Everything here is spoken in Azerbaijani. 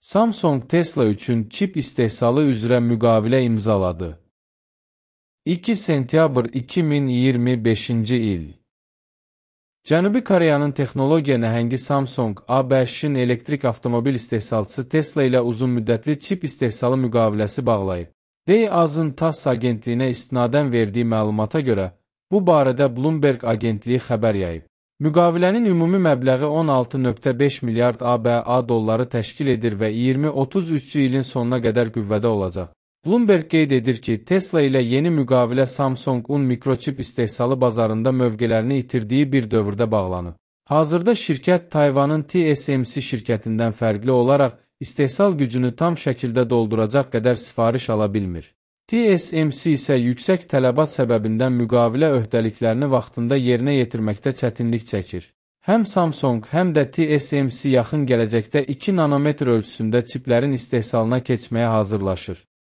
Samsung Tesla üçün çip istehsalı üzrə müqavilə imzaladı. 2 sentyabr 2025-ci il. Cənubi Koreyanın texnologiya nəhəngi Samsung, ABŞ-in elektrik avtomobil istehsalçısı Tesla ilə uzunmüddətli çip istehsalı müqaviləsi bağlayıb. AZ'ın TASS agentliyinə istinadən verdiyi məlumata görə, bu barədə Bloomberg agentliyi xəbər yayıb. Müqavilənin ümumi məbləği 16,5 milyard ABA dolları təşkil edir və 2033-cü ilin sonuna qədər qüvvədə olacaq. Bloomberg qeyd edir ki, Tesla ilə yeni müqavilə Samsung-un mikroçip istehsalı bazarında mövqelərini itirdiyi bir dövrdə bağlanıb. Hazırda şirkət Tayvanın TSMC şirkətindən fərqli olaraq istehsal gücünü tam şəkildə dolduracaq qədər sifariş ala bilmir. TSMC isə yüksək tələbat səbəbindən müqavilə öhdəliklərini vaxtında yerinə yetirməkdə çətinlik çəkir. Həm Samsung, həm də TSMC yaxın gələcəkdə 2 nanometr ölçüsündə çiplərin istehsalına keçməyə hazırlaşır.